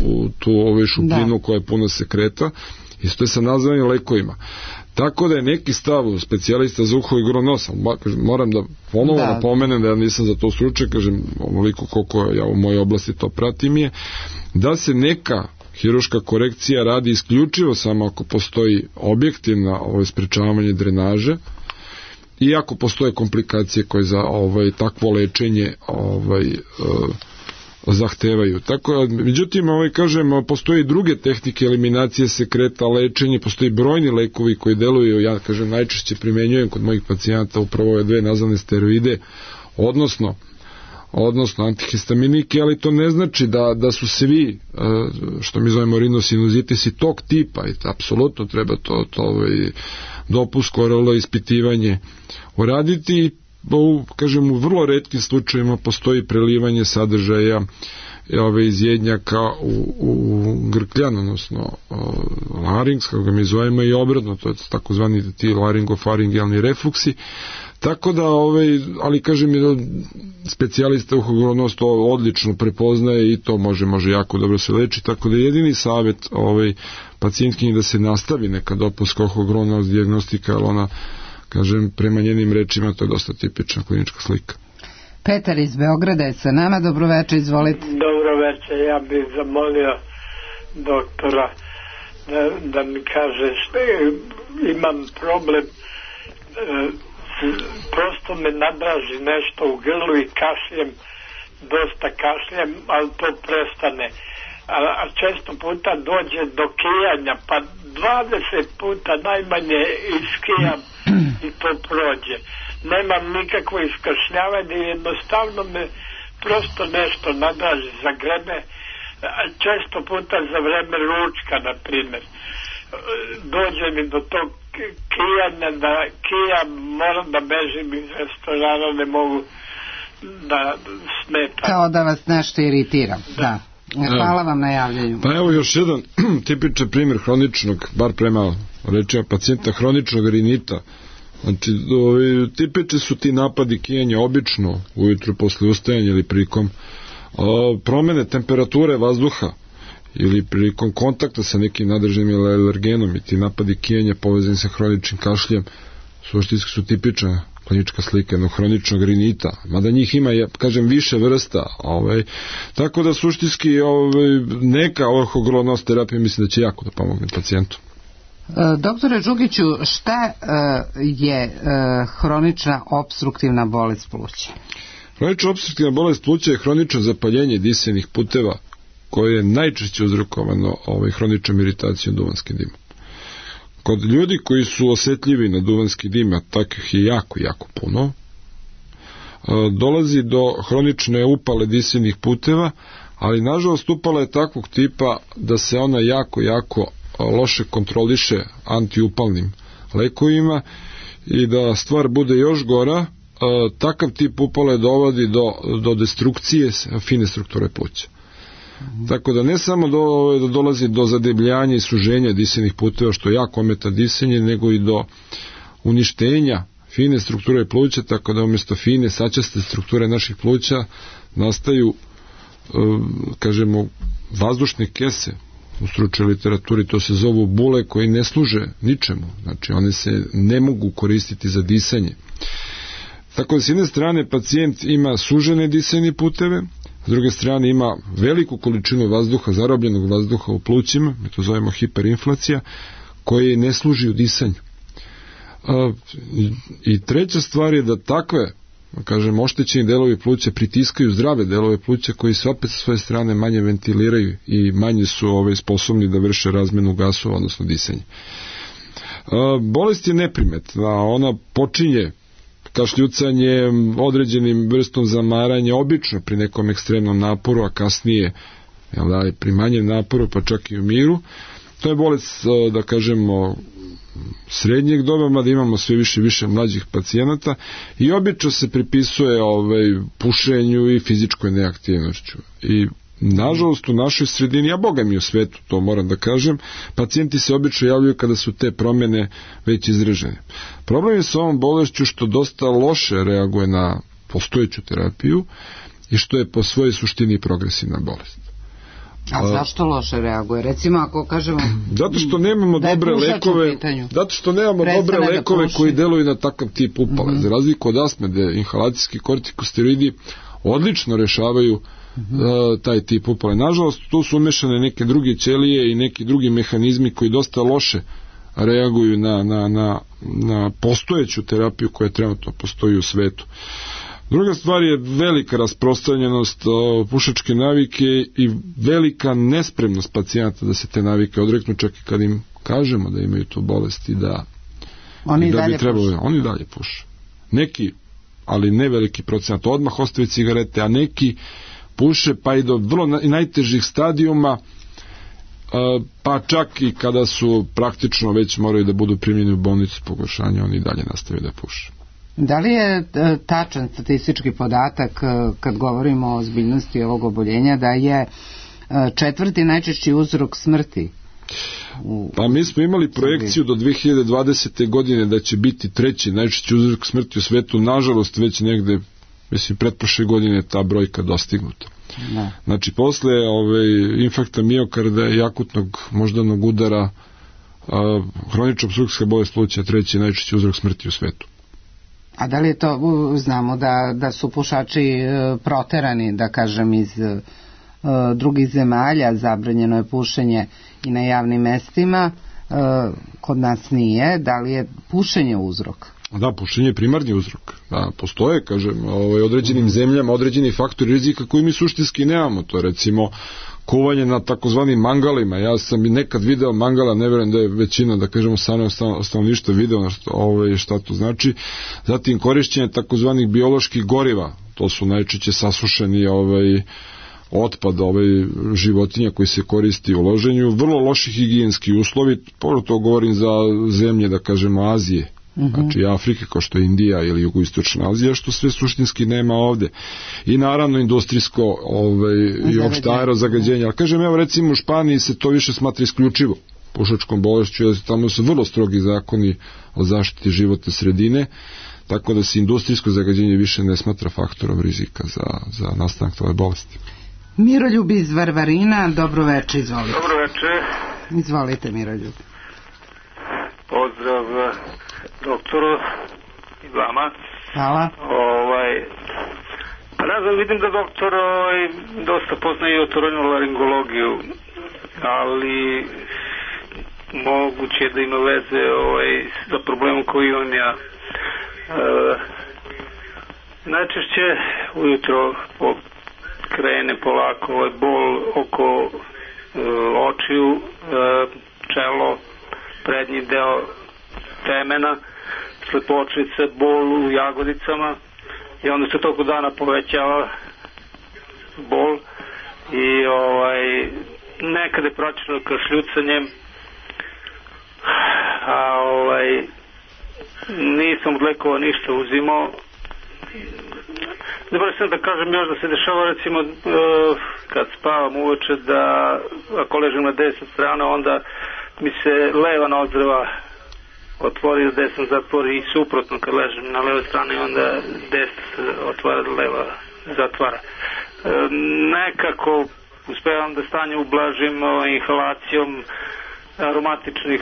u tu šupljinu koja je puna sekreta. Isto je sa nazalnim lekovima. Tako da je neki stav specijalista za uho i grlo nosa, moram da ponovo napomenem da ja nisam za to stručnjak, kažem onoliko koliko ja u mojoj oblasti to pratim je, da se neka hiruška korekcija radi isključivo samo ako postoji objektivna sprečavanje drenaže i ako postoje komplikacije koje za takvo lečenje zahtevaju. Tako, međutim, postoji druge tehnike eliminacije sekreta, lečenje, postoji brojni lekovi koji deluju, ja kažem, najčešće primenjujem kod mojih pacijenata upravo ove dve nazalne steroide, odnosno antihistaminike, ali to ne znači da su svi, što mi zovemo rinosinuzitisi, tog tipa, i apsolutno treba to dopunsko korelo ispitivanje uraditi. U vrlo retkim slučajevima postoji prelivanje sadržaja iz jednjaka u grkljan, odnosno larynx, kako ga mi zovemo, i obratno, to je takozvani ti laringofaringijalni refluksi. Tako da, ali kažem, specijalista uhogornost to odlično prepoznaje i to može jako dobro se leči, tako da jedini savjet pacijentkinji da se nastavi neka dopunska uhogornost dijagnostika, ali ona, kažem, prema njenim rečima, to je dosta tipična klinička slika. Petar iz Beograda je sa nama, dobroveče, izvolite. Dobroveče, ja bih zamolio doktora da mi kaže, imam problem, prosto me nadraži nešto u grlu i kašljem, dosta kašljem, ali to prestane. A često puta dođe do kijanja, pa 20 puta najmanje iskijam i to prođe. Nemam nikakvo iskašljavanje, jednostavno me prosto nešto nadraži, zagrebe, često puta za vreme ručka, na primjer. Dođe mi do tog kijanja, da kijam, moram da bežim iz restorana, ne mogu da smetam. Kao da vas nešto iritira, da. Hvala vam na javljanju. Pa evo još jedan tipičan primjer hroničnog, bar prema rečima pacijenta, hroničnog rinita. Znači, tipični su ti napadi kijanja obično ujutru posle ustajanja ili prilikom promene temperature vazduha ili prilikom kontakta sa nekim nadržanim ili alergenom, i ti napadi kijanja povezani sa hroničnim kašljem suštinski su tipična klinička slika jednog hroničnog rinita, mada njih ima, kažem, više vrsta, tako da suštinski neka uhogornost terapija mislim da će jako da pomogne pacijentu. Doktore Đugiću, šta je hronična opstruktivna bolest pluća? Hronična opstruktivna bolest pluća je hronično zapaljenje disenih puteva koje je najčešće uzrokovano hroničnom iritacijom duvanskim dimom. Kod ljudi koji su osjetljivi na duvanski dim, a takvih je jako puno, dolazi do hronične upale disenih puteva, ali nažalost upala je takvog tipa da se ona jako loše kontroliše antiupalnim lekovima i da stvar bude još gora, takav tip upale dovodi do destrukcije fine strukture pluća. Tako da ne samo da dolazi do zadebljanja i suženja disenih puteva, što jako ometa disenje, nego i do uništenja fine strukture pluća, tako da umjesto fine sačaste strukture naših pluća nastaju, kažemo, vazdušne kese. U stručnoj literaturi to se zovu bule koji ne služe ničemu, znači one se ne mogu koristiti za disanje. Tako da s jedne strane pacijent ima sužene disajne puteve, s druge strane ima veliku količinu vazduha, zarobljenog vazduha u plućima, mi to zovemo hiperinflacija, koji ne služi u disanju. I treća stvar je da takve, kažem, oštećeni delovi pluća pritiskaju zdrave delove pluća koji se opet sa svoje strane manje ventiliraju i manje su sposobni da vrše razmenu gasova, odnosno disanje. Bolest je neprimetna, ona počinje kašljucanjem, određenim vrstom zamaranja, obično pri nekom ekstremnom naporu, a kasnije pri manjem naporu, pa čak i u miru. To je bolest, da kažemo, srednjeg doba, mada imamo sve više mlađih pacijenata i obično se pripisuje pušenju i fizičkoj neaktivnošću. I nažalost u našoj sredini, a boga mi u svetu, to moram da kažem, pacijenti se obično javljaju kada su te promjene već izražene. Problem je sa ovom bolešću što dosta loše reaguje na postojeću terapiju i što je po svojoj suštini progresivna bolest. A zašto loše reaguje? Recimo ako kažemo zato što nemamo dobre lekove, koji deluju na takav tip upale. Za razliku od astme, gde inhalacijski kortikosteroidi odlično rešavaju taj tip upale. Nažalost, tu su umešane neke druge ćelije i neki drugi mehanizmi koji dosta loše reaguju na postojeću terapiju koja trenutno postoji u svetu. Druga stvar je velika rasprostranjenost pušačke navike i velika nespremnost pacijenata da se te navike odreknu, čak i kad im kažemo da imaju tu bolest i da oni dalje puše. Neki, ali ne veliki procenat, odmah ostavi cigarete, a neki puše pa i do vrlo najtežih stadijuma, pa čak i kada su praktično već moraju da budu primljeni u bolnicu pogoršanja, oni dalje nastavljaju da puše. Da li je tačan statistički podatak kad govorimo o ozbiljnosti ovog oboljenja da je četvrti najčešći uzrok smrti? Pa mi smo imali projekciju do 2020. godine da će biti treći najčešći uzrok smrti u svetu, nažalost već negde, mislim, pretprošle godine ta brojka dostignuta. Da. Znači posle infarkta miokarda i akutnog moždanog udara hronična opstrukcijska bolest pluća treći najčešći uzrok smrti u svetu. A da li je to, znamo da su pušači proterani, da kažem, iz drugih zemalja, zabranjeno je pušenje i na javnim mestima, kod nas nije, da li je pušenje uzrok? Da, pušenje je primarni uzrok. Da, postoje, kažem, određenim zemljama, određeni faktori rizika koji mi suštinski nemamo. To je recimo kuvanje na takozvanim mangalima. Ja sam i nekad video mangala, ne vjerujem da je većina, da kažemo, stanovništva video šta to znači. Zatim korišćenje takozvanih bioloških goriva. To su najčešće sasušeni otpad životinja koji se koristi u loženju. Vrlo loši higijenski uslovi, to govorim za zemlje, da kažemo, Azije. Znači Afrike kao što je Indija ili jugoistočna Azija, što sve suštinski nema ovde. I naravno industrijsko i opšte aerozagađenje. Ali kažem, evo recimo u Španiji se to više smatra isključivo pušačkom bolešću, jer tamo su vrlo strogi zakoni o zaštiti životne sredine, tako da se industrijsko zagađenje više ne smatra faktorom rizika za nastanak ove bolesti. Miroljub iz Varvarina, dobro veče, izvolite. Dobro veče. Izvolite, Miroljub. Pozdrav doktoru i vama. Hvala. Ne znam, vidim da doktor dosta poznaje i otorinolaringologiju, ali moguće da ima veze sa problemom koji on ja. Najčešće ujutro krene polako bol oko očiju, čelo, prednji deo temena, slepočice, bol u jagodicama i onda se toliko dana povećava bol i nekada je praćeno kašljucanjem, a nisam od lekova ništa uzimao. Dobro sam da kažem još da se dešava recimo kad spavam uveče da ako ležim na desnu stranu onda mi se leva nozdrva otvori, desna zatvori i suprotno kad ležim na levoj strani onda desna se otvara, leva zatvara. Nekako uspevam da stanje ublažim inhalacijom aromatičnih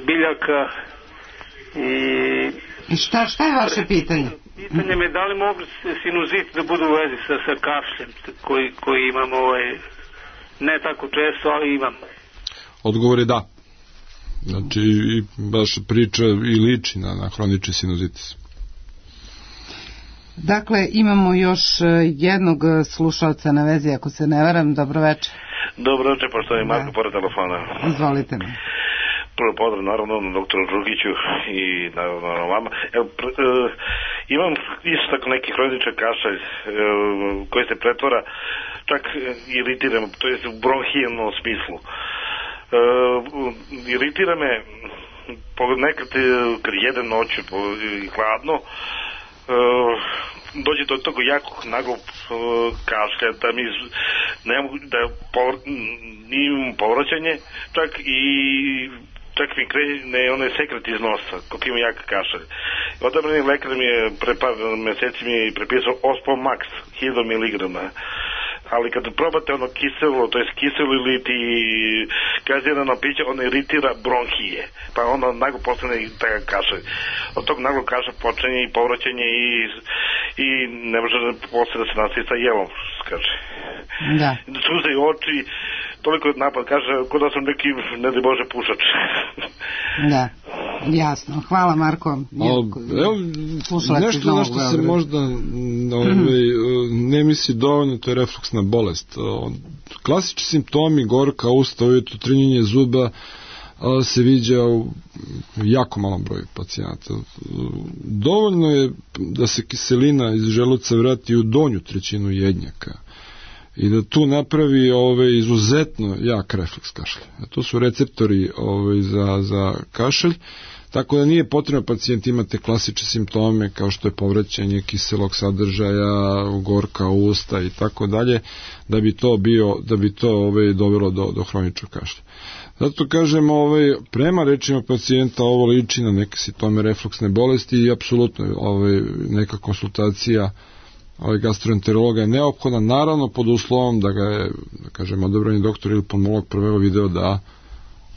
biljaka i šta je vaše pitanje? pitanje me da li mogu sinuzit da budu u vezi sa kašljem koji imam ne tako često, ali imam. Odgovor je da. Znači, baš priča i liči na hronični sinuzitis. Dakle, imamo još jednog slušalca na vezi, ako se ne varam. Dobro večer. Dobro večer, poštovani Marko, pored telefona. Izvolite me. Prvo pozdrav, naravno, doktoru Đugiću i naravno vama. Imam isto tako neki hroničan kašalj koji se pretvara, čak iritiram, to je u bronhijalnom smislu. Iritira me nekad kad jedem noću i hladno, dođe do toga jakog naglog kašlja da mi ne mogu da imam povraćanje, čak mi krene onaj sekret iz nosa, koliko ima jak kašalj. Odabrani lekar mi je pre par meseci mi je prepisao Ospon Max 1000 mg, ali kad probate ono kiselo, to je kiselo ili ti gazirano piće, ono iritira bronhije, pa ono naglo postane takav kašalj. Od tog naglog kašalja počinje i povraćanje i ne može posle da se nastavi sa jelom, kaže. Da. Suze i oči, toliko napad, kaže, kod da sam neki, ne daj Bože, pušač. Da, jasno. Hvala, Marko. Nešto na što se možda ne misli dovoljno, to je refluksna bolest. Klasični simptomi, gorka usta, ujutro trnjenje zuba, se viđa u jako malom broju pacijenata. Dovoljno je da se kiselina iz želuca vrati u donju trećinu jednjaka i da tu napravi izuzetno jak refleks kašlja. To su receptori za kašalj, tako da nije potrebno pacijent imate klasične simptome kao što je povraćanje kiselog sadržaja, gorka usta i tako dalje, da bi to dovelo do hroničnog kašlja. Zato kažem, prema rečima pacijenta ovo liči na neke simptome refluksne bolesti i apsolutno neka konsultacija gastroenterologa je neophodna, naravno pod uslovom da ga je, da kažem, odabrani doktor ili pulmolog prvego video da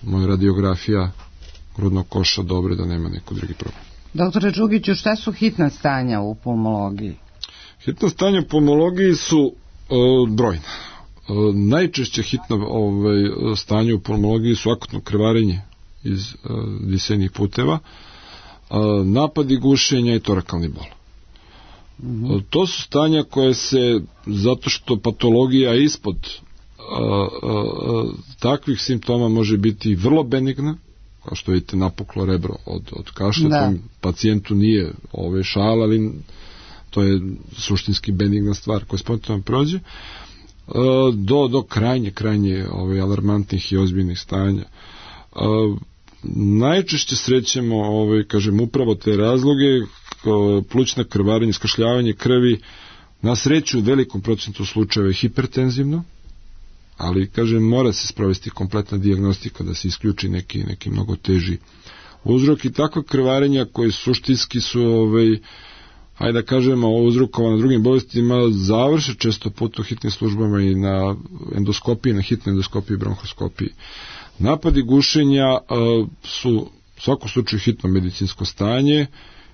moja radiografija grudnog koša dobre, da nema neko drugi problem. Doktore Đugiću, šta su hitna stanja u pulmologiji? Hitna stanja u pulmologiji su brojna. Najčešće hitno stanje u pulmologiji su akutno krvarenje iz disajnih puteva, napadi gušenja i torakalni bol. To su stanja koje se, zato što patologija ispod takvih simptoma može biti vrlo benigna, kao što vidite napuklo rebro od kašlja, da. Pacijentu nije šal, ali to je suštinski benigna stvar koja spontano prođe, do krajnje alarmantnih i ozbiljnih stanja. Najčešće srećemo kažem upravo te razloge, plućna krvarenje, skašljavanje krvi, na sreću u velikom procentu slučajeva je hipertenzivno, ali kažem mora se sprovesti kompletna dijagnostika da se isključi neki mnogo teži uzrok i takva krvarenja koji suštinski su hajde da kažemo uzrokovano drugim bolestima završe često put u hitnim službama i na endoskopiji, na hitnoj endoskopiji i bronhoskopiji. Napadi gušenja su u svakom slučaju hitno medicinsko stanje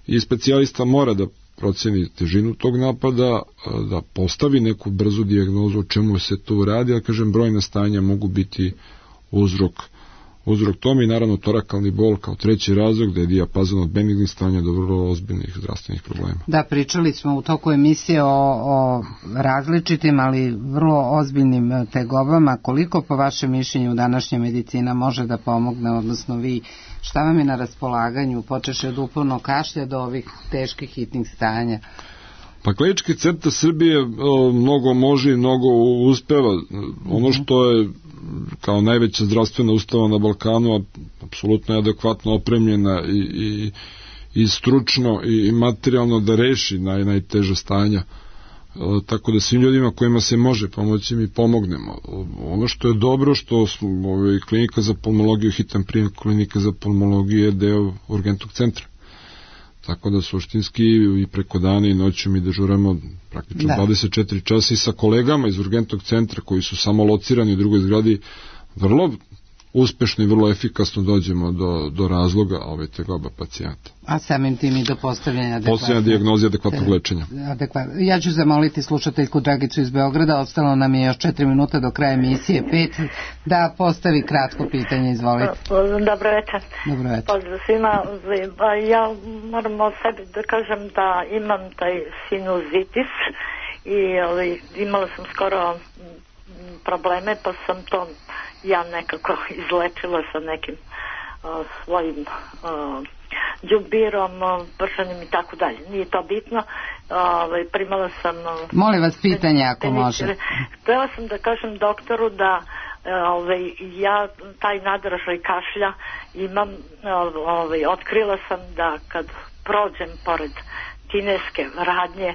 i specijalista mora da proceni težinu tog napada, da postavi neku brzu dijagnozu o čemu se tu radi, ali kažem brojna stanja mogu biti uzrok tome i naravno torakalni bol kao treći razlog, da je dijapazon od benignih stanja do vrlo ozbiljnih zdravstvenih problema. Da, pričali smo u toku emisije o različitim, ali vrlo ozbiljnim tegobama. Koliko po vašem mišljenju današnja medicina može da pomogne, odnosno vi, šta vam je na raspolaganju, počeši od upornog kašlja do ovih teških hitnih stanja? Pa Klinički centar Srbije mnogo može i mnogo uspeva. Ono što je kao najveća zdravstvena ustanova na Balkanu, apsolutno je adekvatno opremljena i stručno i materijalno da reši najteža stanja. Tako da svim ljudima kojima se može pomoći mi pomognemo. Ono što je dobro što klinika za pulmologiju, hitan prijem klinika za pulmologiju je deo urgentnog centra. Tako da suštinski i preko dana i noću mi dežuramo praktično 24 časa i sa kolegama iz urgentnog centra koji su samo locirani u drugoj zgradi vrlo uspešno i vrlo efikasno dođemo do razloga tegoba pacijenta. A samim tim i do postavljanja dijagnoze i adekvatnog lečenja. Ja ću zamoliti slušateljku Dragicu iz Beograda, ostalo nam je još 4 minuta do kraja emisije, 5, da postavi kratko pitanje, izvolite. Dobro večer. Dobro večer. Pozdrav svima. Ja moram o sebi da kažem da imam taj sinuzitis i imala sam skoro probleme, pa sam to ja nekako izlečila sa nekim svojim đubirom, pršanjem i tako dalje. Nije to bitno. Primala sam... Molim vas pitanje ako može. Htela sam da kažem doktoru da ja taj nadražaj kašlja imam, otkrila sam da kad prođem pored kineske radnje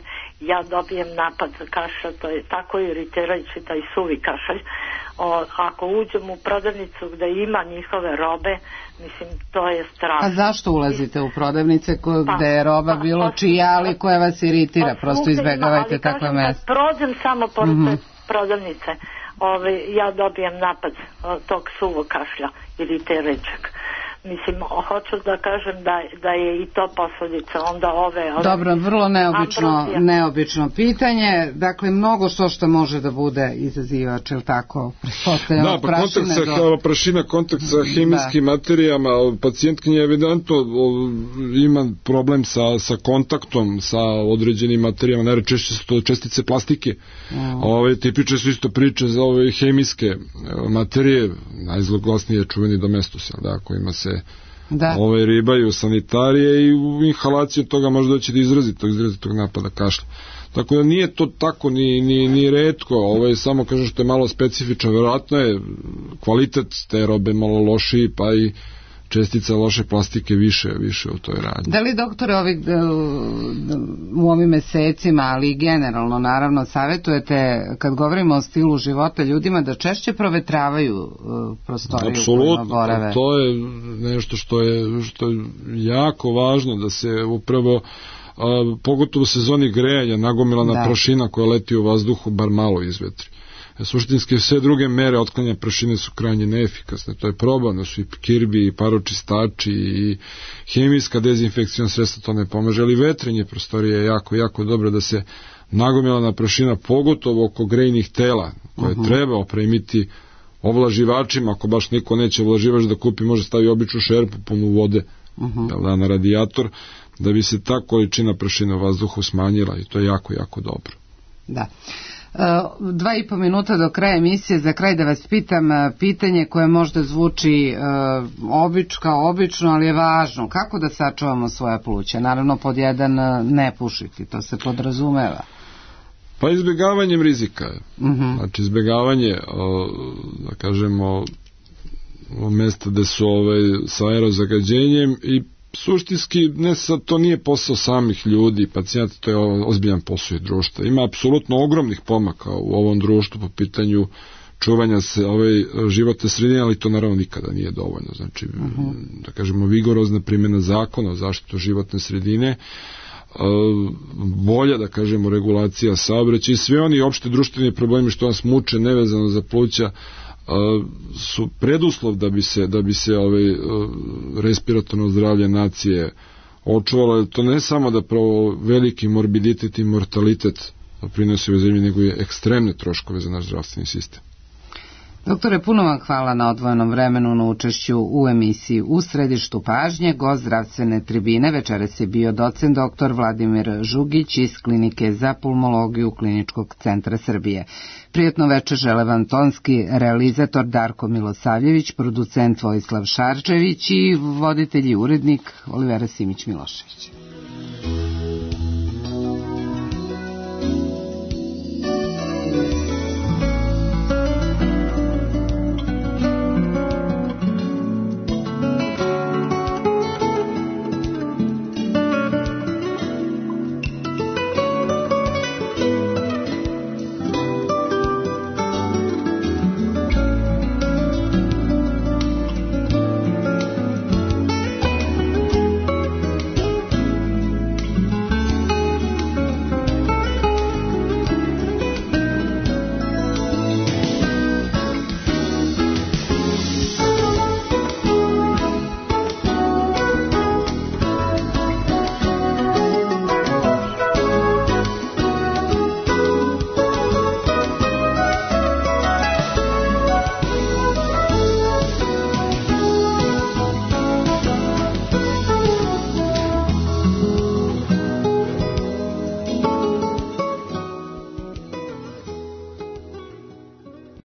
ja dobijem napad kašlja, to je tako iritirajući taj suvi kašalj. Ako uđem u prodavnicu gde ima njihove robe, mislim, to je strašno. A zašto ulazite u prodavnice gde je roba bilo čija, ali koja vas iritira? Prosto izbegavajte takve mesta. Prođem samo pored te prodavnice, ja dobijem napad tog suvog kašlja iritirajućeg. Mislim, hoću da kažem da je i to posljedica onda ove... Dobro, vrlo neobično pitanje. Dakle, mnogo što može da bude izazivač, ili tako? Da, pa prašina, kontakt sa hemijskim materijama, pacijentkinja evidentno ima problem sa kontaktom sa određenim materijama, najčešće su to čestice plastike. Tipične su isto priče za ove hemijske materije, najzloglasnije je čuveni domestos, kojima se ribaju sanitarije i u inhalaciju toga može doći do izrazitog napada kašlja. Tako da nije to tako ni retko, ovo je samo, kažem, što je malo specifično, verovatno je kvalitet te robe malo lošiji, pa i čestica loše plastike više u toj radnji. Da li, doktore, u ovim mesecima, ali i generalno, naravno, savjetujete, kad govorimo o stilu života ljudima, da češće provetravaju prostoriju? Apsolutno, to je nešto što je jako važno, da se upravo, pogotovo u sezoni grejanja, nagomilana prašina koja leti u vazduhu bar malo izvetri. Suštinski sve druge mere otklanja prašine su krajnje neefikasne, to je probano, su i kirbi, i paročistači, i hemijska dezinfekcijna sredstva, to ne pomaže, ali vetrenje prostorije je jako dobro da se nagomilana prašina, pogotovo oko grejnih tela, koje treba opremiti ovlaživačima, ako baš niko neće ovlaživač da kupi, može stavi običnu šerpu punu vode na radijator, da bi se ta količina prašine u vazduhu smanjila, i to je jako dobro. Da. 2,5 minuta do kraja emisije. Za kraj da vas pitam pitanje koje možda zvuči obično, ali je važno. Kako da sačuvamo svoja pluća? Naravno, pod jedan, ne pušiti, to se podrazumeva. Pa izbjegavanjem rizika. Znači izbjegavanje, da kažemo, mesta gde su sa aerozagađenjem, i suštinski to nije posao samih ljudi, pacijenta, to je ozbiljan posao i društva. Ima apsolutno ogromnih pomaka u ovom društvu po pitanju čuvanja se životne sredine, ali to naravno nikada nije dovoljno. Znači, da kažemo, vigorozna primjena zakona o zaštitu životne sredine, bolja, da kažemo, regulacija saobraćaja i sve oni opšte društveni problemi što nas muče nevezano za pluća su preduslov da bi se respiratorno zdravlje nacije očuvalo. To ne samo da pravo veliki morbiditet i mortalitet prinosi u zemlji, nego je ekstremne troškove za naš zdravstveni sistem. Doktore, puno vam hvala na odvojenom vremenu na učešću u emisiji U središtu pažnje. Gost zdravstvene tribine večeras je bio docent dr. Vladimir Žugić iz Klinike za pulmologiju Kliničkog centra Srbije. Prijatno večer žele vam tonski realizator Darko Milosavljević, producent Vojislav Šarčević i voditelj i urednik Olivera Simić Milošević.